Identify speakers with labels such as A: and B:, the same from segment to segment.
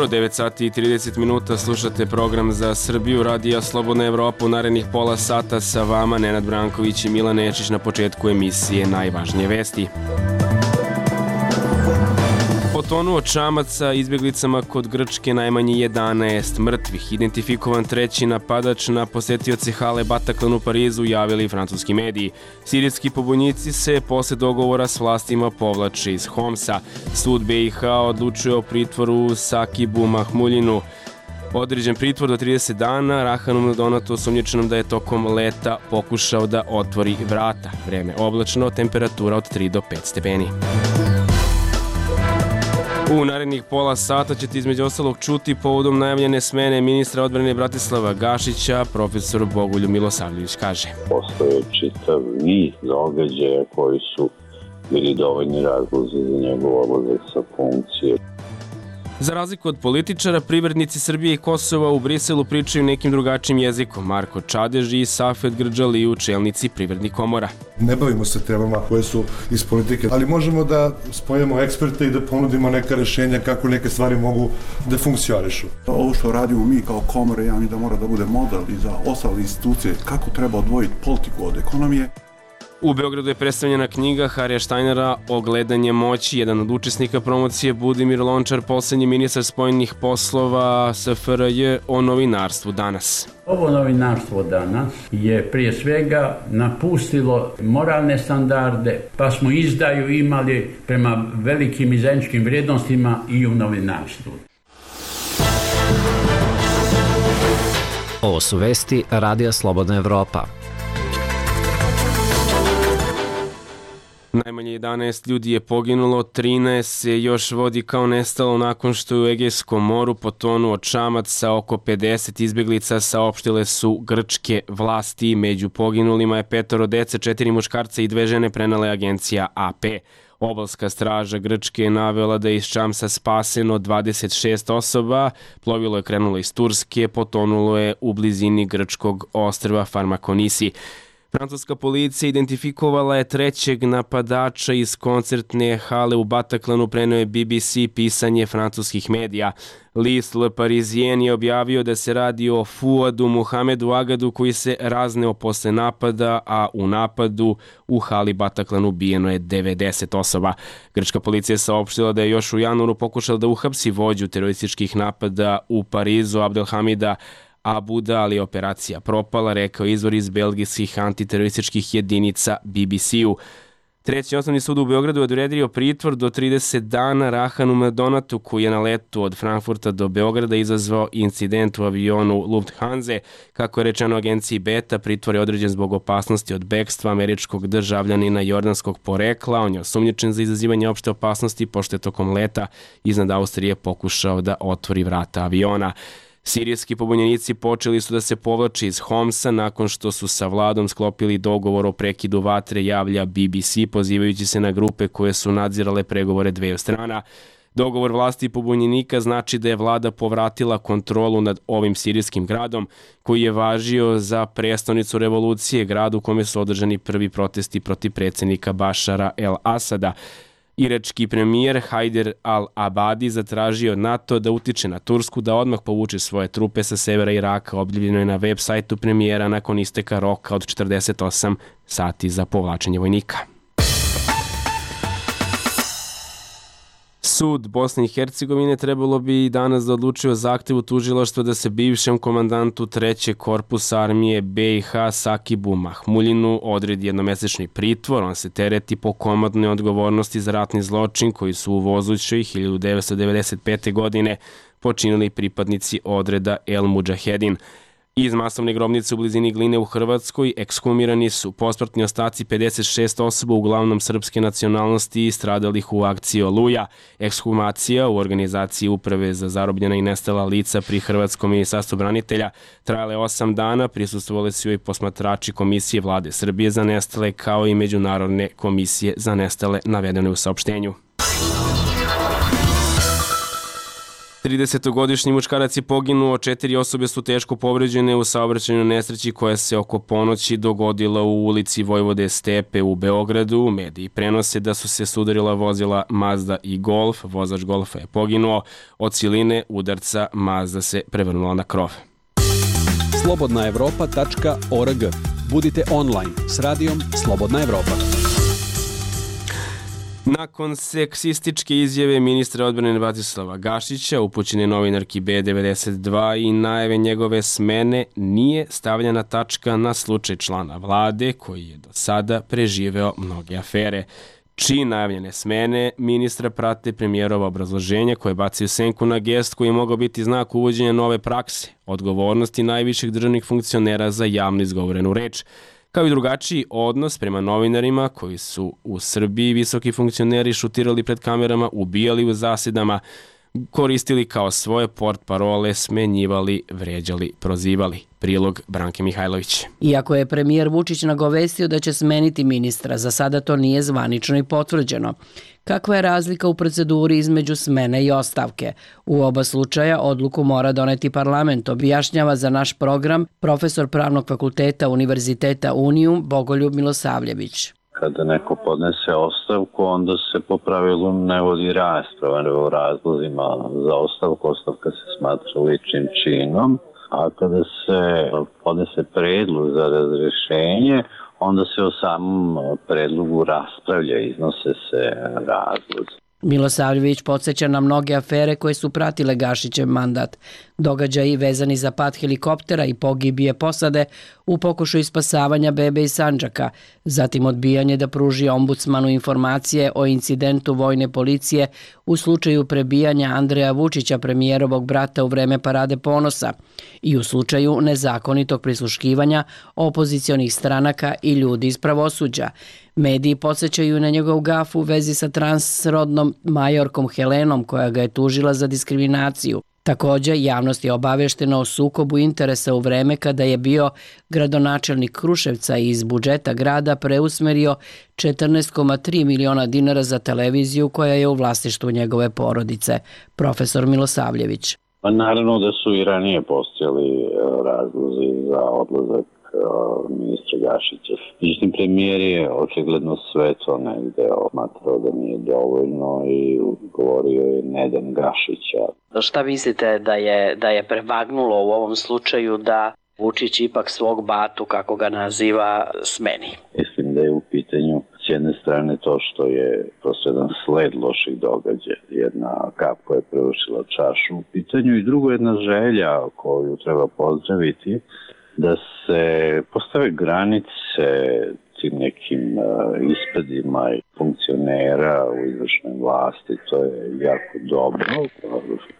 A: jutro, 9 sati i 30 minuta, slušate program za Srbiju, Radija Slobodna Evropa. U narednih pola sata sa vama Nenad Branković i Milan Nečić. Na početku emisije najvažnije vesti. Potonuo čamac sa izbjeglicama kod Grčke, najmanje 11 mrtvih. Identifikovan treći napadač na posetioce hale Bataclan u Parizu, javili francuski mediji. Sirijski pobunjici se posle dogovora s vlastima povlače iz Homsa. Sud BiH odlučuje o pritvoru Sakibu Mahmuljinu. Određen pritvor do 30 dana, Rahanu Mladonatu osumnjičenom da je tokom leta pokušao da otvori vrata. Vreme oblačno, temperatura od 3 do 5 stepeni. U narednih pola sata ćete između ostalog čuti povodom najavljene smene ministra odbrane Bratislava Gašića, profesor Bogoljub Milosavljević kaže.
B: Postoje čitav niz događaja koji su bili dovoljni razlozi za njegov odlazak sa funkcije.
A: Za razliku od političara, privrednici Srbije i Kosova u Briselu pričaju nekim drugačijim jezikom. Marko Čadež i Safet Grđaliju, čelnici privrednih komora.
C: Ne bavimo se temama koje su iz politike, ali možemo da spojimo eksperte i da ponudimo neka rešenja kako neke stvari mogu da funkcionišu.
D: Ovo što radimo mi kao komore, ja mi da mora da bude model i za ostale institucije kako treba odvojiti politiku od ekonomije.
A: U Beogradu je predstavljena knjiga Harija Štajnera Ogledanje moći. Jedan od učesnika promocije Budimir Lončar, poslednji ministar spoljnih poslova SFRJ, o novinarstvu danas.
E: Ovo novinarstvo danas je prije svega napustilo moralne standarde, pa smo izdaju imali prema velikim i zajedničkim vrijednostima i u novinarstvu.
F: Ovo su vesti Radija Slobodna Evropa.
A: Najmanje 11 ljudi je poginulo, 13 se još vodi kao nestalo nakon što je u Egejskom moru potonuo čamac sa oko 50 izbjeglica, saopštile su grčke vlasti. Među poginulima je 5 dece, 4 muškarca i 2 žene, prenela je agencija AP. Obalska straža Grčke je navela da je iz čamca spaseno 26 osoba, plovilo je krenulo iz Turske, potonulo je u blizini grčkog ostrva Farmakonisi. Francuska policija identifikovala je trećeg napadača iz koncertne hale u Bataclanu, preneo je BBC pisanje francuskih medija. List Le Parisien je objavio da se radi o Fuadu Muhamedu Agadu koji se razneo posle napada, a u napadu u hali Bataclan ubijeno je 90 osoba. Grčka policija je saopštila da je još u januaru pokušala da uhapsi vođu terorističkih napada u Parizu, Abdelhamida Abuda, ali je operacija propala, rekao izvor iz belgijskih antiterorističkih jedinica BBC-u. Treći osnovni sud u Beogradu je odredio pritvor do 30 dana Rahanu Mladonatu, koji je na letu od Frankfurta do Beograda izazvao incident u avionu Lufthansa. Kako je rečeno agenciji Beta, pritvor je određen zbog opasnosti od bekstva američkog državljanina jordanskog porekla. On je osumnjičen za izazivanje opšte opasnosti, pošto je tokom leta iznad Austrije pokušao da otvori vrata aviona. Sirijski pobunjenici počeli su da se povlače iz Homsa nakon što su sa vladom sklopili dogovor o prekidu vatre, javlja BBC, pozivajući se na grupe koje su nadzirale pregovore dveju strana. Dogovor vlasti i pobunjenika znači da je vlada povratila kontrolu nad ovim sirijskim gradom, koji je važio za prestonicu revolucije, grad u kome su održani prvi protesti protiv predsjednika Bašara el-Asada. Irački premijer Hajder al-Abadi zatražio od NATO da utiče na Tursku da odmah povuče svoje trupe sa severa Iraka, objavljeno je na web sajtu premijera nakon isteka roka od 48 sati za povlačenje vojnika. Sud Bosne i Hercegovine trebalo bi danas da odlučuje o zahtevu tužilaštva da se bivšem komandantu 3. korpusa armije BiH Sakibu Mahmuljinu odredi jednomesečni pritvor. On se tereti po komandnoj odgovornosti za ratni zločin koji su u Vozućoj 1995. godine počinili pripadnici odreda El Mudžahedin. Iz masovne grobnice u blizini Gline u Hrvatskoj ekshumirani su posmrtni ostaci 56 osoba, uglavnom srpske nacionalnosti, stradalih u akciji Oluja. Ekshumacija u organizaciji Uprave za zarobljena i nestala lica pri Hrvatskom ministarstvu branitelja trajale 8 dana, prisustvovali su i posmatrači Komisije Vlade Srbije za nestale, kao i Međunarodne komisije za nestale, navedene u saopštenju. 30-godišnji muškarac je poginuo, 4 osobe su teško povređene u saobraćajnoj nesreći koja se oko ponoći dogodila u ulici Vojvode Stepe u Beogradu. Mediji prenose da su se sudarila vozila Mazda i Golf. Vozač Golfa je poginuo. Od siline udarca Mazda se prevrnula na krov.
G: slobodnaevropa.org. Budite online s radijom Slobodna Evropa.
A: Nakon seksističke izjave ministra odbrane Bratislava Gašića, upućene novinarki B92 i najave njegove smene, nije stavljena tačka na slučaj člana vlade koji je do sada preživeo mnoge afere. Čiji najavljene smene ministra prate premijerova obrazloženja koje bacaju senku na gest koji je mogao biti znak uvođenja nove prakse, odgovornosti najviših državnih funkcionera za javno izgovorenu reč, kao i drugačiji odnos prema novinarima koji su u Srbiji visoki funkcioneri šutirali pred kamerama, ubijali u zasedama, koristili kao svoje portparole, smenjivali, vređali, prozivali. Prilog Branke Mihajlović.
H: Iako je premijer Vučić nagovestio da će smeniti ministra, za sada to nije zvanično i potvrđeno. Kakva je razlika u proceduri između smene i ostavke? U oba slučaja odluku mora doneti parlament, objašnjava za naš program profesor Pravnog fakulteta Univerziteta Unijum Bogoljub Milosavljević.
B: Kada neko podnese ostavku, onda se po pravilu ne vodi rasprava o razlozima za ostavku. Ostavka se smatra ličnim činom, a kada se podnese predlog za razrešenje, onda se o samom predlogu raspravlja, iznose se razlozi.
H: Milosavljević podsjeća na mnoge afere koje su pratile Gašićev mandat. Događaji vezani za pad helikoptera i pogibije posade u pokušaju spasavanja bebe iz Sandžaka, zatim odbijanje da pruži ombudsmanu informacije o incidentu vojne policije u slučaju prebijanja Andreja Vučića, premijerovog brata, u vreme Parade ponosa i u slučaju nezakonitog prisluškivanja opozicionih stranaka i ljudi iz pravosuđa. Mediji podsjećaju na njegov gaf u vezi sa transrodnom majorkom Helenom koja ga je tužila za diskriminaciju. Također, javnost je obaveštena o sukobu interesa u vreme kada je bio gradonačelnik Kruševca i iz budžeta grada preusmerio 14,3 miliona dinara za televiziju koja je u vlasništvu njegove porodice. Profesor Milosavljević.
B: Pa naravno da su i ranije postojali razlozi za odlazak ministra Gašića. Međutim, premijer je očigledno sve to negde smatrao da nije dovoljno i govorio je Nedan Gašića.
H: Šta mislite da je prevagnulo u ovom slučaju da Vučić ipak svog batu, kako ga naziva, smeni?
B: Mislim da je u pitanju s jedne strane to što je prosto jedan sled loših događaja, jedna kap koja je prevršila čašu u pitanju i drugo jedna želja koju treba pozdraviti, da se postave granice tim nekim ispadima i funkcionera u izvršnoj vlasti. To je jako dobro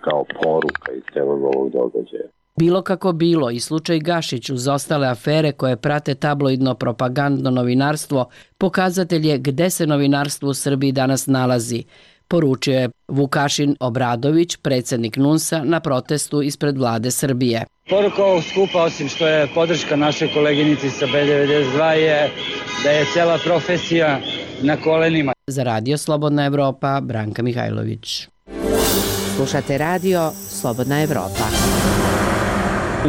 B: kao poruka iz celog ovog događaja.
H: Bilo kako bilo, i slučaj Gašić uz ostale afere koje prate tabloidno propagandno novinarstvo pokazatelj je gde se novinarstvo u Srbiji danas nalazi, poručio je Vukašin Obradović, predsjednik NUNS-a, na protestu ispred vlade Srbije.
I: Poruka ovog skupa, osim što je podrška našoj koleginici sa B92, je da je cela profesija na kolenima.
H: Za Radio Slobodna Evropa, Branka Mihajlović.
J: Slušate Radio Slobodna Evropa.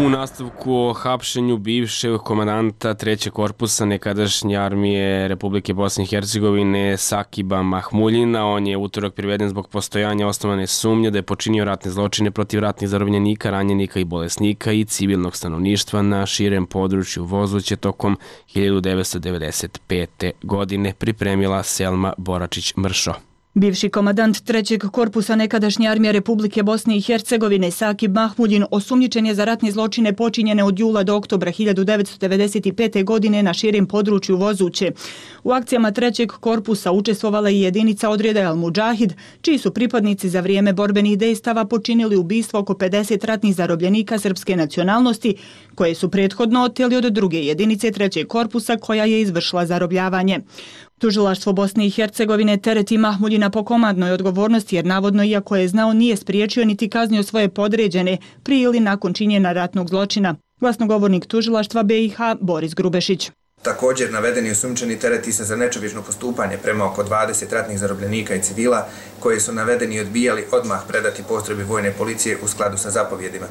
A: U nastavku o hapšenju bivšeg komandanta 3. korpusa nekadašnje armije Republike Bosne i Hercegovine Sakiba Mahmuljina, on je utorak priveden zbog postojanja osnovane sumnje da je počinio ratne zločine protiv ratnih zarobljenika, ranjenika i bolesnika i civilnog stanovništva na širem području Vozuće tokom 1995. godine, pripremila Selma Boračić-Mršo.
K: Bivši komandant 3. korpusa nekadašnje armije Republike Bosne i Hercegovine Sakib Mahmuljin osumnjičen je za ratne zločine počinjene od jula do oktobra 1995. godine na širem području Vozuće. U akcijama 3. korpusa učestvovala i jedinica odreda Al Mudžahid, čiji su pripadnici za vrijeme borbenih dejstava počinili ubistvo oko 50 ratnih zarobljenika srpske nacionalnosti, koje su prethodno oteli od druge jedinice 3. korpusa koja je izvršila zarobljavanje. Tužilaštvo Bosne i Hercegovine tereti Mahmuljina po komandnoj odgovornosti jer navodno, iako je znao, nije spriječio niti kaznio svoje podređene prije ili nakon činjenja ratnog zločina. Glasnogovornik tužilaštva BiH Boris Grubešić.
L: Također, navedeni osumnjičeni tereti se za nečovječno postupanje prema oko 20 ratnih zarobljenika i civila, koje su navedeni odbijali odmah predati postrojbi vojne policije u skladu sa zapovjedima.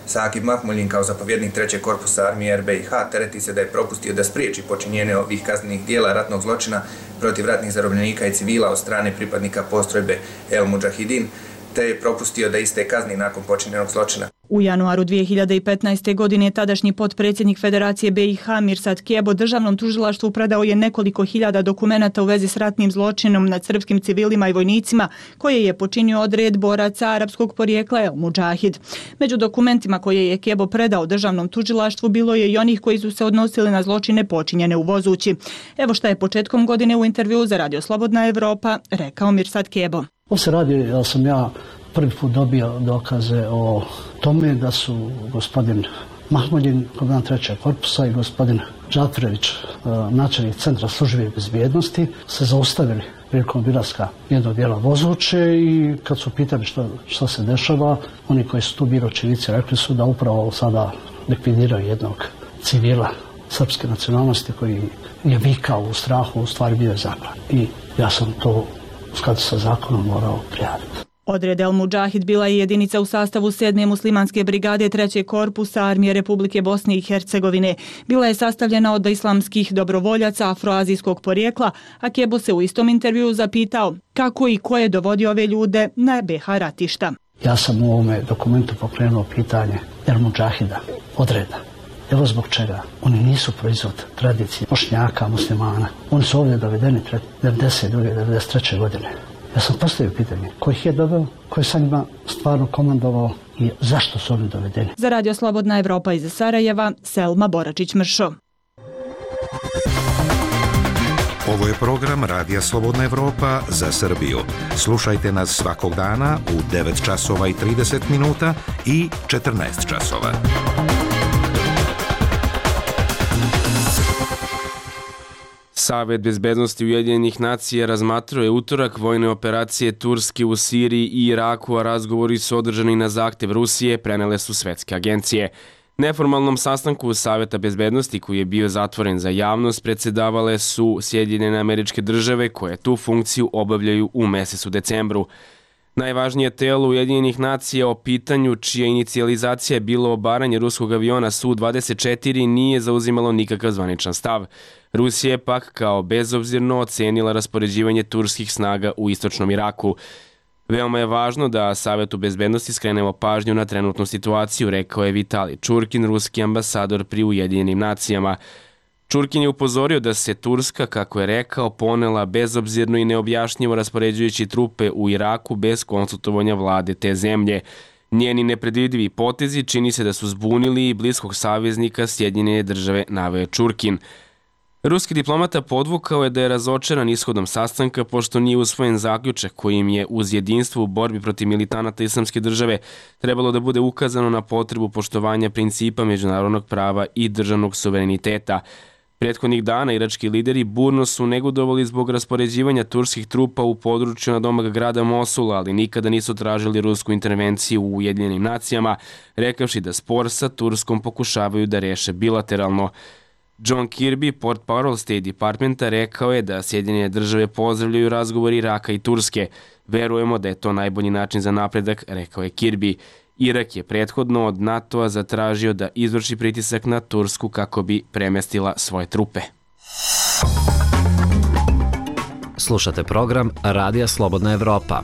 L: Sakib Mahmuljin kao zapovjednik 3. korpusa armije RBIH tereti se da je propustio da spriječi počinjenje ovih kaznenih dijela ratnog zločina protiv ratnih zarobljenika i civila od strane pripadnika postrojbe El Mudžahidin, te je propustio da iste kazni nakon počinjenog zločina.
K: U januaru 2015. godine tadašnji potpredsjednik Federacije BiH Mirsad Kebo državnom tužilaštvu predao je nekoliko hiljada dokumenata u vezi s ratnim zločinom nad srpskim civilima i vojnicima koje je počinio odred boraca arapskog porijekla El Mudžahid. Među dokumentima koje je Kebo predao državnom tužilaštvu bilo je i onih koji su se odnosili na zločine počinjene u Vozući. Evo šta je početkom godine u intervjuu za Radio Slobodna Evropa rekao Mirsad Kebo.
M: Ovo se radi da sam ja prvi put dobio dokaze o tome da su gospodin Mahmuljin, komandant 3. korpusa i gospodin Džatrević, načelnik Centra službe bezbjednosti, se zaustavili prilikom obilaska jednog dijela Vozuće i kad su pitali što se dešava, oni koji su tu bili očevici rekli su da upravo sada likvidiraju jednog civila srpske nacionalnosti koji je vikao u strahu, u stvari bio je zaklan. I ja sam to u skladu sa zakonom morao prijaviti.
K: Odred El Mudžahid bila je jedinica u sastavu 7. muslimanske brigade 3. korpusa armije Republike Bosne i Hercegovine. Bila je sastavljena od islamskih dobrovoljaca afroazijskog porijekla, a Kebo se u istom intervjuu zapitao kako i ko je dovodio ove ljude na BiH ratišta.
M: Ja sam u ovome dokumentu pokrenuo pitanje El Mudžahida, odreda. Evo zbog čega. Oni nisu proizvod tradicije Bošnjaka, muslimana. Oni su ovdje dovedeni 92. 93. godine. Ja sam postavio pitanje ko ih je doveo, ko je sa njima stvarno komandovao i zašto su oni dovedeni.
K: Za Radio Slobodna Evropa iz Sarajeva, Selma Boračić-Mršo.
N: Ovo je program Radija Slobodna Evropa za Srbiju. Slušajte nas svakog dana u 9 časova i 30 minuta i 14 časova.
A: Savet bezbednosti Ujedinjenih nacija razmatrao je utorak vojne operacije Turske u Siriji i Iraku, a razgovori su održani na zahtev Rusije, prenele su svetske agencije. Neformalnom sastanku Saveta bezbednosti, koji je bio zatvoren za javnost, predsjedavale su Sjedinjene Američke Države, koje tu funkciju obavljaju u mesecu decembru. Najvažnije telo Ujedinjenih nacija o pitanju čija inicijalizacija je bilo obaranje ruskog aviona Su-24 nije zauzimalo nikakav zvaničan stav. Rusija je pak kao bezobzirno ocenila raspoređivanje turskih snaga u istočnom Iraku. Veoma je važno da Savetu bezbednosti skrenemo pažnju na trenutnu situaciju, rekao je Vitali Čurkin, ruski ambasador pri Ujedinjenim nacijama. Čurkin je upozorio da se Turska, kako je rekao, ponela bezobzirno i neobjašnjivo raspoređujući trupe u Iraku bez konsultovanja vlade te zemlje. Njeni nepredvidivi potezi čini se da su zbunili i bliskog saveznika Sjedinjene Države, naveo je Čurkin. Ruski diplomata podvukao je da je razočaran ishodom sastanka pošto nije usvojen zaključak kojim je uz jedinstvo u borbi protiv militanata Islamske države trebalo da bude ukazano na potrebu poštovanja principa međunarodnog prava i državnog suvereniteta. Prethodnih dana irački lideri burno su negodovali zbog raspoređivanja turskih trupa u području nadomak grada Mosula, ali nikada nisu tražili rusku intervenciju u Ujedinjenim nacijama, rekavši da spor sa Turskom pokušavaju da reše bilateralno. John Kirby, portparol State Departmenta, rekao je da Sjedinjene Države pozdravljaju razgovor Iraka i Turske. Verujemo da je to najbolji način za napredak, rekao je Kirby. Irak je prethodno od NATO-a zatražio da izvrši pritisak na Tursku kako bi premestila svoje trupe.
F: Slušate program Radija Slobodna Evropa.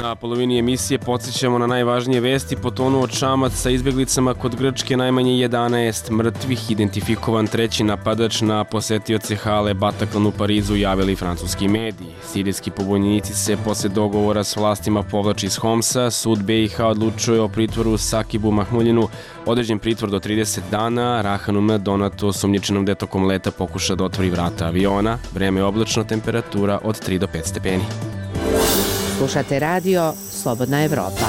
A: Na polovini emisije podsjećamo na najvažnije vesti. Potonuo čamac sa izbjeglicama kod Grčke, najmanje 11 mrtvih, identifikovan treći napadač na posetioce hale Bataclan u Parizu, javili francuski mediji. Sirijski pobunjenici se posle dogovora s vlastima povlači iz Homsa. Sud BiH odlučuje o pritvoru Sakibu Mahmuljinu, određen pritvor do 30 dana. Rahanu Donatu, osumnjičenom da je tokom leta pokuša da otvori vrata aviona. Vreme je oblačno, temperatura od 3 do 5 stepeni.
J: Slušate radio Slobodna Evropa.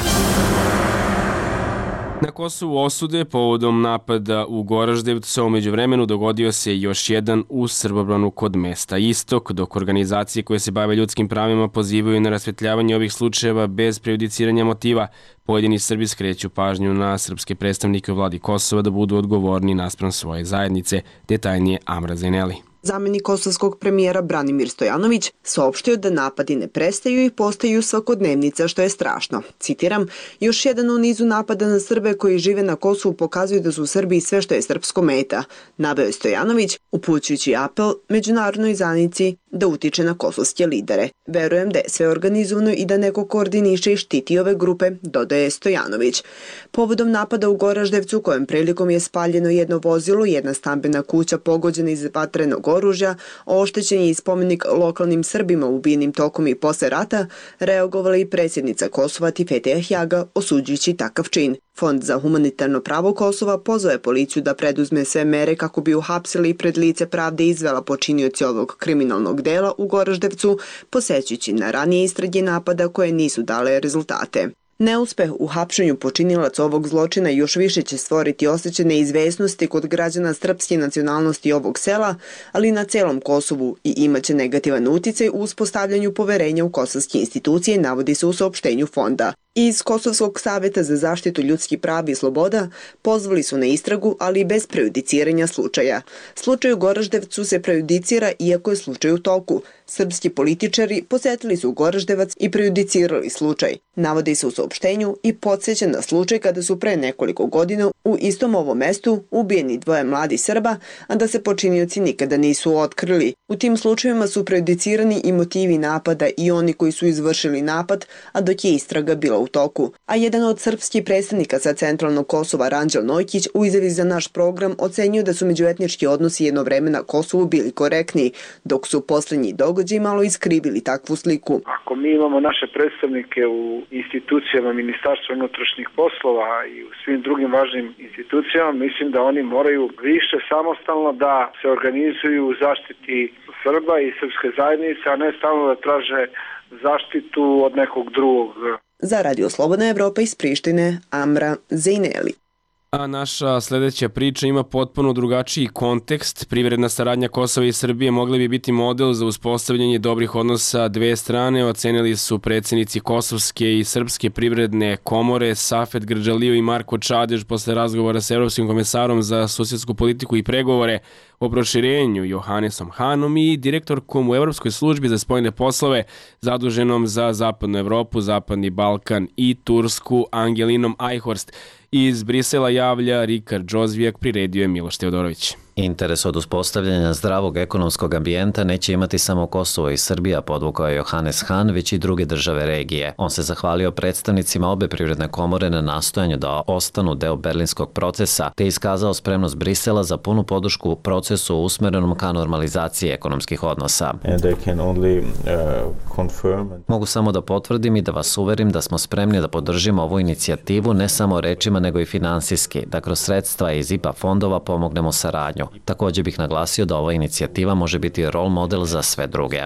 A: Na Kosovu osude povodom napada u Goraždevcu, a među vremenu dogodio se još jedan u Srbobranu kod mesta Istok, dok organizacije koje se bave ljudskim pravima pozivaju na rasvetljavanje ovih slučajeva bez prejudiciranja motiva. Pojedini Srbi skreću pažnju na srpske predstavnike u vladi Kosova da budu odgovorni naspram svoje zajednice. Detaljnije Amra Zeneli.
O: Zamenik kosovskog premijera Branimir Stojanović saopštio da napadi ne prestaju i postaju svakodnevnica, što je strašno. Citiram, još jedan u nizu napada na Srbe koji žive na Kosovu pokazuju da su u Srbiji sve što je srpsko meta, naveo je Stojanović, upućujući apel međunarodnoj zajednici da utiče na kosovske lidere. Verujem da je sve organizovano i da neko koordiniše i štiti ove grupe, dodaje Stojanović. Povodom napada u Goraždevcu, kojem prilikom je spaljeno jedno vozilo, jedna stambena kuća pogođena iz vatrenog oružja, oštećen je i spomenik lokalnim Srbima ubijenim tokom i posle rata, reagovala i predsjednica Kosova Tifete Ahjaga, osuđujući takav čin. Fond za humanitarno pravo Kosova pozvao je policiju da preduzme sve mere kako bi uhapsili i pred lice pravde izvela počinioci ovog kriminalnog dela u Goraždevcu, posećujući na ranije istrage napada koje nisu dale rezultate. Neuspeh u hapšenju počinilaca ovog zločina još više će stvoriti osjećaj neizvesnosti kod građana srpske nacionalnosti ovog sela, ali na celom Kosovu, i imaće negativan uticaj u uspostavljanju poverenja u kosovske institucije, navodi se u saopštenju fonda. Iz Kosovskog saveta za zaštitu ljudskih prava i sloboda pozvali su na istragu, ali bez prejudiciranja slučaja. Slučaj u Goraždevcu se prejudicira iako je slučaj u toku. Srpski političari posetili su Goraždevac i prejudicirali slučaj. Navodi se u saopštenju i podsjeća na slučaj kada su pre nekoliko godina u istom ovom mestu ubijeni dvoje mladi Srba, a da se počinioci nikada nisu otkrili. U tim slučajevima su prejudicirani i motivi napada i oni koji su izvršili napad, a dok je istraga bila u toku. A jedan od srpskih predstavnika sa centralnog Kosova, Ranđel Nojkić, u izjavi za naš program ocenio da su međuetnički odnosi jedno vreme na Kosovu bili korektni, dok su posljednji događaji malo iskrivili takvu sliku.
P: Ako mi imamo naše predstavnike u institucijama Ministarstva unutrašnjih poslova i u svim drugim važnim institucijama, mislim da oni moraju više samostalno da se organizuju u zaštiti Srba i srpske zajednice, a ne stalno da traže zaštitu od nekog drugog.
O: Za Radio Slobodna Evropa iz Prištine, Amra Zejneli.
A: A naša sljedeća priča ima potpuno drugačiji kontekst. Privredna saradnja Kosova i Srbije mogla bi biti model za uspostavljanje dobrih odnosa dve strane, ocenili su predsjednici Kosovske i Srpske privredne komore Safet Grđalio i Marko Čadež posle razgovora sa Evropskim komesarom za susjedsku politiku i pregovore o proširenju Johannesom Hanom i direktorkom u Evropskoj službi za spoljne poslove zaduženom za Zapadnu Evropu, Zapadni Balkan i Tursku Angelinom Ajhorst. Iz Brisela javlja Rikard Džozvijak, priredio je Miloš Teodorović.
F: Interes od uspostavljanja zdravog ekonomskog ambijenta neće imati samo Kosovo i Srbija, podvukao je Johannes Han, već i druge države regije. On se zahvalio predstavnicima obe privredne komore na nastojanju da ostanu deo berlinskog procesa, te iskazao spremnost Brisela za punu podršku u procesu usmerenom ka normalizaciji ekonomskih odnosa. Mogu samo da potvrdim i da vas uverim da smo spremni da podržimo ovu inicijativu ne samo rečima nego i finansijski, da kroz sredstva iz IPA fondova pomognemo saradnju. Također bih naglasio da ova inicijativa može biti role model za sve druge.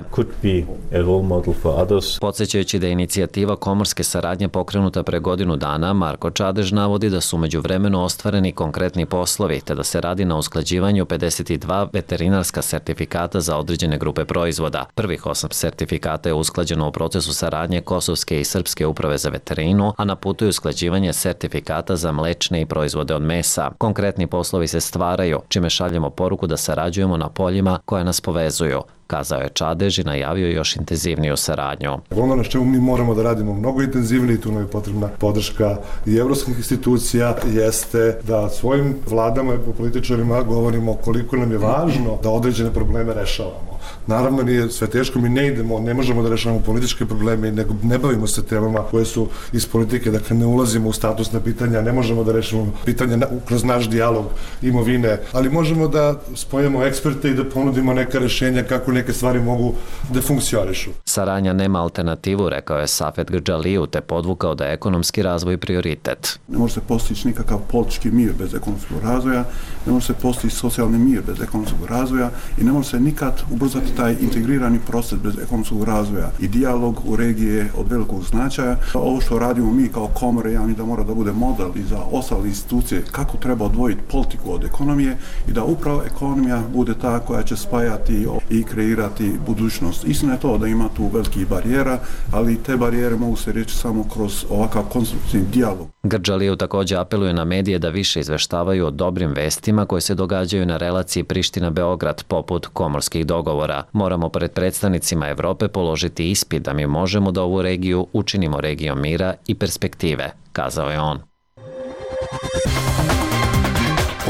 F: Podsjećajući da je inicijativa komorske saradnje pokrenuta pre godinu dana, Marko Čadež navodi da su međuvremeno ostvareni konkretni poslovi, te da se radi na usklađivanju 52 veterinarska sertifikata za određene grupe proizvoda. Prvih 8 sertifikata je usklađeno u procesu saradnje Kosovske i Srpske uprave za veterinu, a na putu je usklađivanje sertifikata za mlečne i proizvode od mesa. Konkretni poslovi se stvaraju, čime šaljemo poruku da sarađujemo na poljima koje nas povezuju, kazao je Čadež i najavio još intenzivniju saradnju.
C: Ono na čemu mi moramo da radimo mnogo intenzivnije, tu nam je potrebna podrška i evropskih institucija, jeste da svojim vladama i političarima govorimo koliko nam je važno da određene probleme rešavamo. Naravno, nije sve teško, mi ne možemo da rešavamo političke probleme, nego ne bavimo se temama koje su iz politike, dakle ne ulazimo u statusna pitanja, ne možemo da rešavamo pitanja kroz naš dijalog imovine, ali možemo da spojimo eksperte i da ponudimo neka rešenja kako neke stvari mogu da funkcionišu.
F: Saradnja nema alternativu, rekao je Safet Grđaliju, te podvukao da je ekonomski razvoj prioritet.
D: Ne može se postići nikakav politički mir bez ekonomskog razvoja, ne može se postići socijalni mir bez ekonomskog razvoja i ne može se nikad ubrzati ubrzati taj integrirani proces bez ekonomskog razvoja i dijalog u regiji je od velikog značaja. Ovo što radimo mi kao komore, ja mislim da mora da bude model i za ostale institucije kako treba odvojiti politiku od ekonomije i da upravo ekonomija bude ta koja će spajati i kreirati budućnost. Istina je to da ima tu velikih barijera, ali te barijere mogu se reći samo kroz ovakav konstruktivni dijalog.
F: Grđalijev također apeluje na medije da više izveštavaju o dobrim vestima koje se događaju na relaciji Priština-Beograd poput komorskih dogovora. Moramo pred predstavnicima Evrope položiti ispit da mi možemo da ovu regiju učinimo regijom mira i perspektive, kazao je on.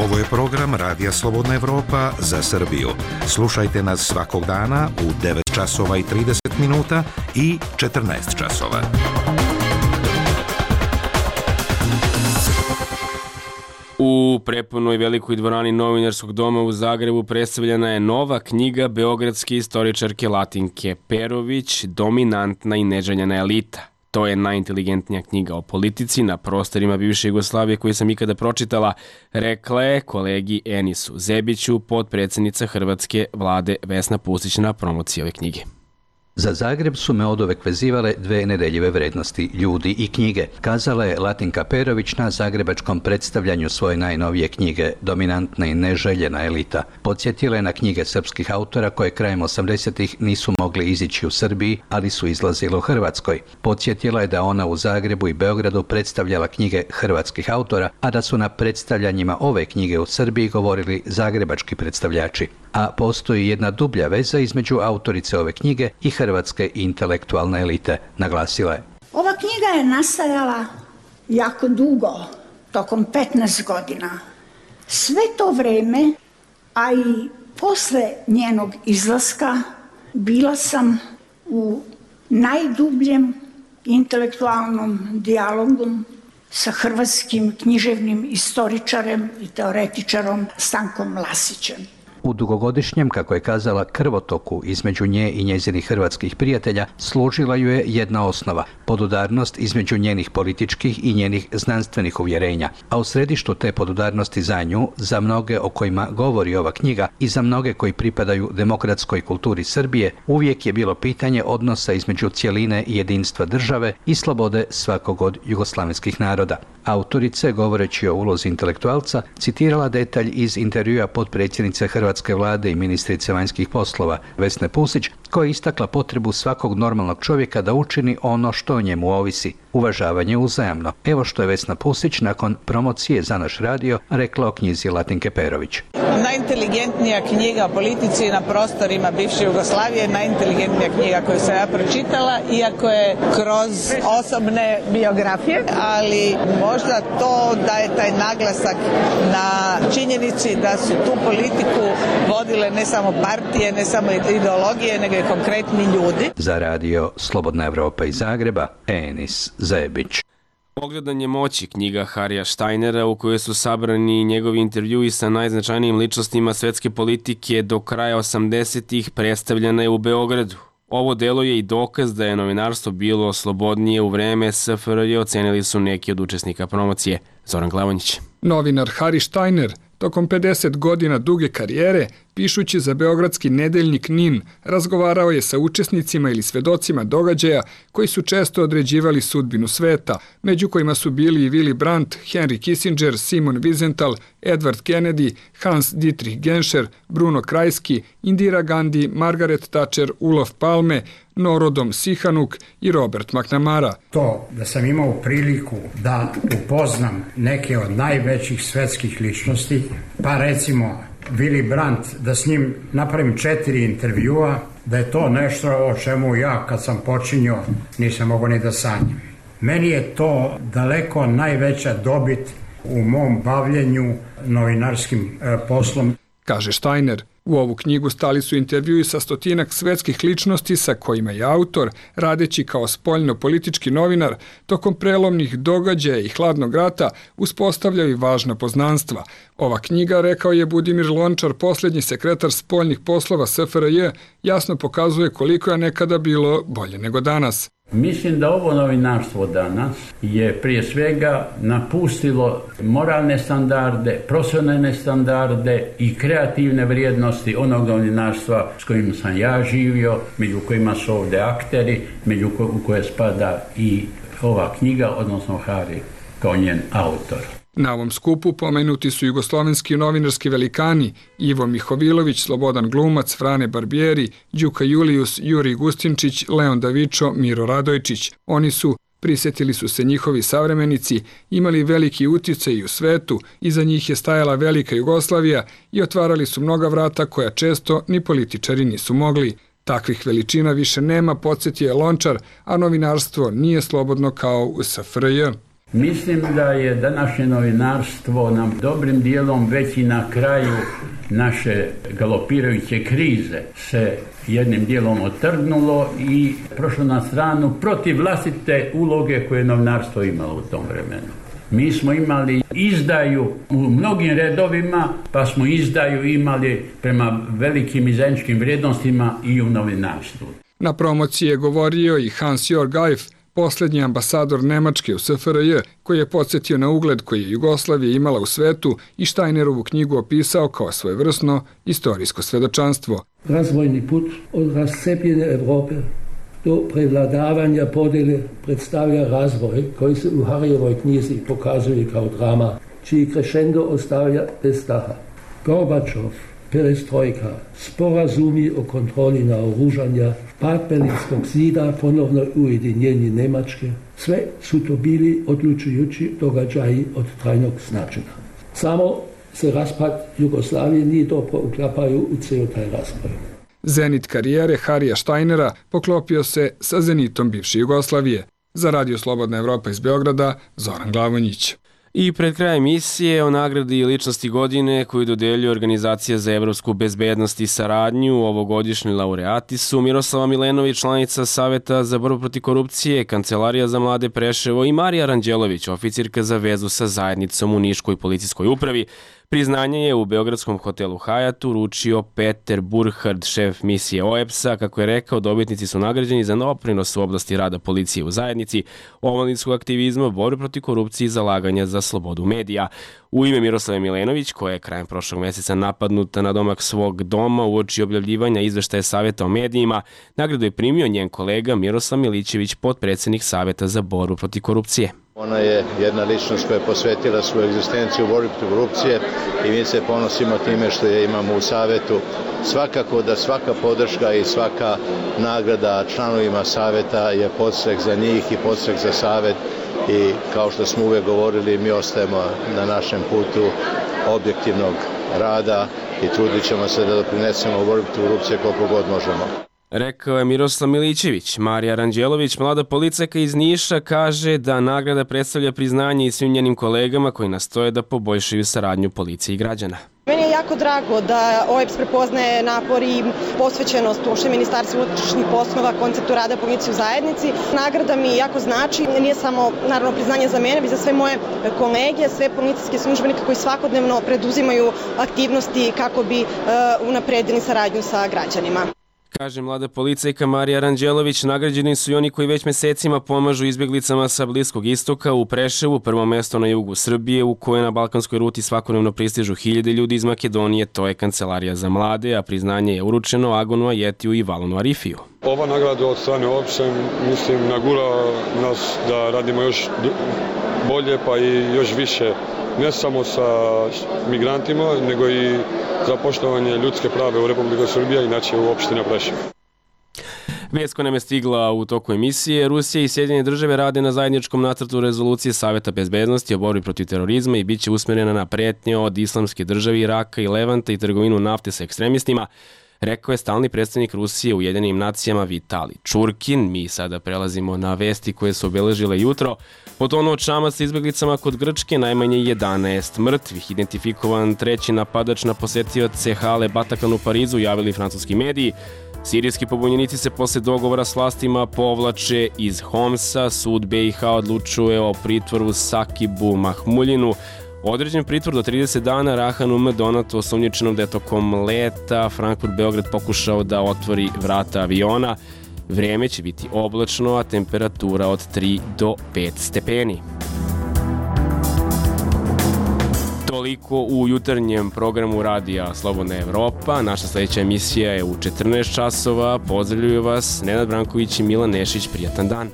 N: Ovo je program Radija Slobodna Evropa za Srbiju. Slušajte nas svakog dana u 9 časova i 30 minuta i 14 časova.
A: U prepunoj velikoj dvorani Novinarskog doma u Zagrebu predstavljena je nova knjiga beogradske istoričarke Latinke Perović, Dominantna i neželjena elita. To je najinteligentnija knjiga o politici na prostorima bivše Jugoslavije koju sam ikada pročitala, rekla je kolegi Enisu Zebiću, potpredsjednica hrvatske vlade Vesna Pusić na promociji ove knjige.
Q: Za Zagreb su me oduvek vezivale dve nedeljive vrednosti, ljudi i knjige, kazala je Latinka Perović na zagrebačkom predstavljanju svoje najnovije knjige Dominantna i neželjena elita. Podsjetila je na knjige srpskih autora koje krajem 80-ih nisu mogli izići u Srbiji, ali su izlazile u Hrvatskoj. Podsjetila je da ona u Zagrebu i Beogradu predstavljala knjige hrvatskih autora, a da su na predstavljanjima ove knjige u Srbiji govorili zagrebački predstavljači. A postoji jedna dublja veza između autorice ove knjige i hrvatske intelektualne elite, naglasila je.
R: Ova knjiga je nastajala jako dugo, tokom 15 godina. Sve to vreme, a i posle njenog izlaska, bila sam u najdubljem intelektualnom dijalogu sa hrvatskim književnim istoričarem i teoretičarom Stankom Lasićem.
Q: U dugogodišnjem, kako je kazala, krvotoku između nje i njezinih hrvatskih prijatelja služila ju je jedna osnova, podudarnost između njenih političkih i njenih znanstvenih uvjerenja, a u središtu te podudarnosti za nju, za mnoge o kojima govori ova knjiga i za mnoge koji pripadaju demokratskoj kulturi Srbije, uvijek je bilo pitanje odnosa između cjeline i jedinstva države i slobode svakog od jugoslavenskih naroda. Autorica, govoreći o ulozi intelektualca, citirala detalj iz intervjua potpredsjednice hrvatske vlade i ministrice vanjskih poslova Vesne Pusić, koja je istakla potrebu svakog normalnog čovjeka da učini ono što o njemu ovisi, uvažavanje uzajamno. Evo što je Vesna Pusić nakon promocije za naš radio rekla o knjizi Latinke Perović.
S: Najinteligentnija knjiga o politici na prostorima bivše Jugoslavije, najinteligentnija knjiga koju sam ja pročitala, iako je kroz osobne biografije, ali možda to daje taj naglasak na činjenici da su tu politiku vodile ne samo partije, ne samo ideologije, nego i konkretni ljudi.
Q: Za radio Slobodna Evropa iz Zagreba, Enis Zebić.
A: Ogledanje moći, knjiga Harija Štajnera u kojoj su sabrani njegovi intervjui sa najznačajnijim ličnostima svetske politike do kraja 80-ih predstavljena je u Beogradu. Ovo delo je i dokaz da je novinarstvo bilo slobodnije u vreme SFRJ, ocenili su neki od učesnika promocije. Zoran Glavonjić.
T: Novinar Hari Štajner tokom 50 godina duge karijere, pišući za beogradski nedeljnik NIN, razgovarao je sa učesnicima ili svedocima događaja koji su često određivali sudbinu sveta, među kojima su bili i Willy Brandt, Henry Kissinger, Simon Wiesenthal, Edward Kennedy, Hans Dietrich Genscher, Bruno Kreisky, Indira Gandhi, Margaret Thatcher, Olof Palme, Norodom Sihanouk i Robert McNamara.
U: To da sam imao priliku da upoznam neke od najvećih svetskih ličnosti, pa recimo Willy Brandt, da s njim napravim 4 intervjua, da je to nešto o čemu ja kad sam počinio nisam mogao ni da sanjam. Meni je to daleko najveća dobit u mom bavljenju novinarskim poslom.
T: Kaže Štajner. U ovu knjigu stali su intervjui sa stotinak svetskih ličnosti sa kojima je autor, radeći kao spoljno-politički novinar, tokom prelomnih događaja i hladnog rata uspostavljao i važna poznanstva. Ova knjiga, rekao je Budimir Lončar, posljednji sekretar spoljnih poslova SFRJ, jasno pokazuje koliko je nekada bilo bolje nego danas.
U: Mislim da ovo novinarstvo danas je prije svega napustilo moralne standarde, profesionalne standarde i kreativne vrijednosti onog novinarstva s kojim sam ja živio, među kojima su ovdje akteri, među koje spada i ova knjiga, odnosno Hari kao njen autor.
T: Na ovom skupu pomenuti su jugoslovenski novinarski velikani Ivo Mihovilović, Slobodan Glumac, Frane Barbieri, Đuka Julijus, Jurij Gustinčić, Leon Davičo, Miro Radojčić. Oni su, prisjetili su se njihovi savremenici, imali veliki utjecaj i u svetu, iza njih je stajala velika Jugoslavija i otvarali su mnoga vrata koja često ni političari nisu mogli. Takvih veličina više nema, podsjetio je Lončar, a novinarstvo nije slobodno kao u SFRJ.
U: Mislim da je današnje novinarstvo nam dobrim dijelom već i na kraju naše galopirajuće krize se jednim dijelom otrgnulo i prošlo na stranu protiv vlastite uloge koje je novinarstvo imalo u tom vremenu. Mi smo imali izdaju u mnogim redovima, pa smo izdaju imali prema velikim i zajedničkim vrijednostima i u novinarstvu.
T: Na promociji je govorio i Hans-Jörg Eif, posljednji ambasador Nemačke u SFRJ, koji je podsjetio na ugled koji je Jugoslavija imala u svetu i Steinerovu knjigu opisao kao svojevrsno istorijsko svedočanstvo.
E: Razvojni put od razcepljene Evrope do prevladavanja podjele predstavlja razvoj koji se u Harijevoj knjizi pokazuje kao drama, čiji crescendo ostavlja bez daha. Gorbačov, perestrojka, sporazumi o kontroli naoružanja, pad Berlinskog zida, ponovno ujedinjenje Njemačke, sve su to bili odlučujući događaji od trajnog značenja. Samo se raspad Jugoslavije nije dobro uklapaju u cijel taj razvoj.
T: Zenit karijere Harija Steinera poklopio se sa zenitom bivše Jugoslavije. Za Radio Slobodna Evropa iz Beograda, Zoran Glavonjić.
A: I pred krajem emisije o nagradi ličnosti godine koju dodeljuje Organizacija za evropsku bezbednost i saradnju, ovogodišnji laureati su Miroslava Milenović, članica Saveta za borbu protiv korupcije, Kancelarija za mlade Preševo, i Marija Ranđelović, oficirka za vezu sa zajednicom u Niškoj policijskoj upravi. Priznanje je u beogradskom hotelu Hajat uručio Peter Burhard, šef misije OEBS-a. Kako je rekao, dobitnici su nagrađeni za doprinos u oblasti rada policije u zajednici, omladinskog aktivizma, borbe protiv korupcije i zalaganja za slobodu medija. U ime Miroslave Milenović, koja je krajem prošlog meseca napadnuta na domak svog doma uoči objavljivanja izveštaja Saveta o medijima, nagradu je primio njen kolega Miroslav Milićević, potpredsjednik Saveta za borbu protiv korupcije.
V: Ona je jedna ličnost koja je posvetila svoju egzistenciju u borbi protiv korupcije i mi se ponosimo time što je imamo u Savetu. Svakako da svaka podrška i svaka nagrada članovima Saveta je podstrek za njih i podstrek za Savet i kao što smo uvek govorili, mi ostajemo na našem putu objektivnog rada i trudit ćemo se da doprinesemo u borbi protiv korupcije koliko god možemo.
A: Rekao je Miroslav Milićević. Marija Ranđelović, mlada policajka iz Niša, kaže da nagrada predstavlja priznanje i svim njenim kolegama koji nastoje da poboljšaju saradnju policije i građana.
W: Meni je jako drago da OEBS prepoznaje napor i posvećenost uopšte Ministarstvu unutrašnjih poslova, konceptu rada policije u zajednici. Nagrada mi jako znači, nije samo naravno priznanje za mene, već za sve moje kolege, sve policijske službenike koji svakodnevno preduzimaju aktivnosti kako bi unapredili saradnju sa građanima.
A: Kaže mlada policajka Marija Ranđelović, nagrađeni su i oni koji već mesecima pomažu izbjeglicama sa Bliskog istoka. U Preševu, prvo mesto na jugu Srbije, u koje na balkanskoj ruti svakodnevno pristižu hiljade ljudi iz Makedonije, to je Kancelarija za mlade, a priznanje je uručeno Agonu Ajetiju i Valonu Arifiju.
X: Ova nagrada od strane OEBS-a, mislim, nagura nas da radimo još bolje pa i još više, ne samo sa migrantima, nego i za poštovanje ljudske prave u Republike Srbije, inače u opština Preševo.
A: Vest koja nam je stigla u toku emisije: Rusija i Sjedinjene države rade na zajedničkom nacrtu rezolucije Saveta bezbednosti o borbi protiv terorizma i bit će usmjerena na pretnje od Islamske države, Iraka i Levanta i trgovinu nafte sa ekstremistima, rekao je stalni predstavnik Rusije u Ujedinjenim nacijama Vitali Čurkin. Mi sada prelazimo na vesti koje su obeležile jutro. Potonuo čamac sa izbjeglicama kod Grčke, najmanje 11 mrtvih. Identifikovan treći napadač na posetioce hale Bataclan u Parizu, javili francuski mediji. Sirijski pobunjenici se posle dogovora s vlastima povlače iz Homsa. Sud BiH odlučuje o pritvoru Sakibu Mahmuljinu. Određen pritvor do 30 dana Rahanu M. Donatu, osumnjičenom da je tokom leta Frankfurt-Beograd pokušao da otvori vrata aviona. Vreme će biti oblačno, a temperatura od 3 do 5 stepeni. Toliko u jutarnjem programu Radija Slobodna Evropa. Naša sledeća emisija je u 14 časova. Pozdravljuju vas Nenad Branković i Milan Nešić. Prijatan dan.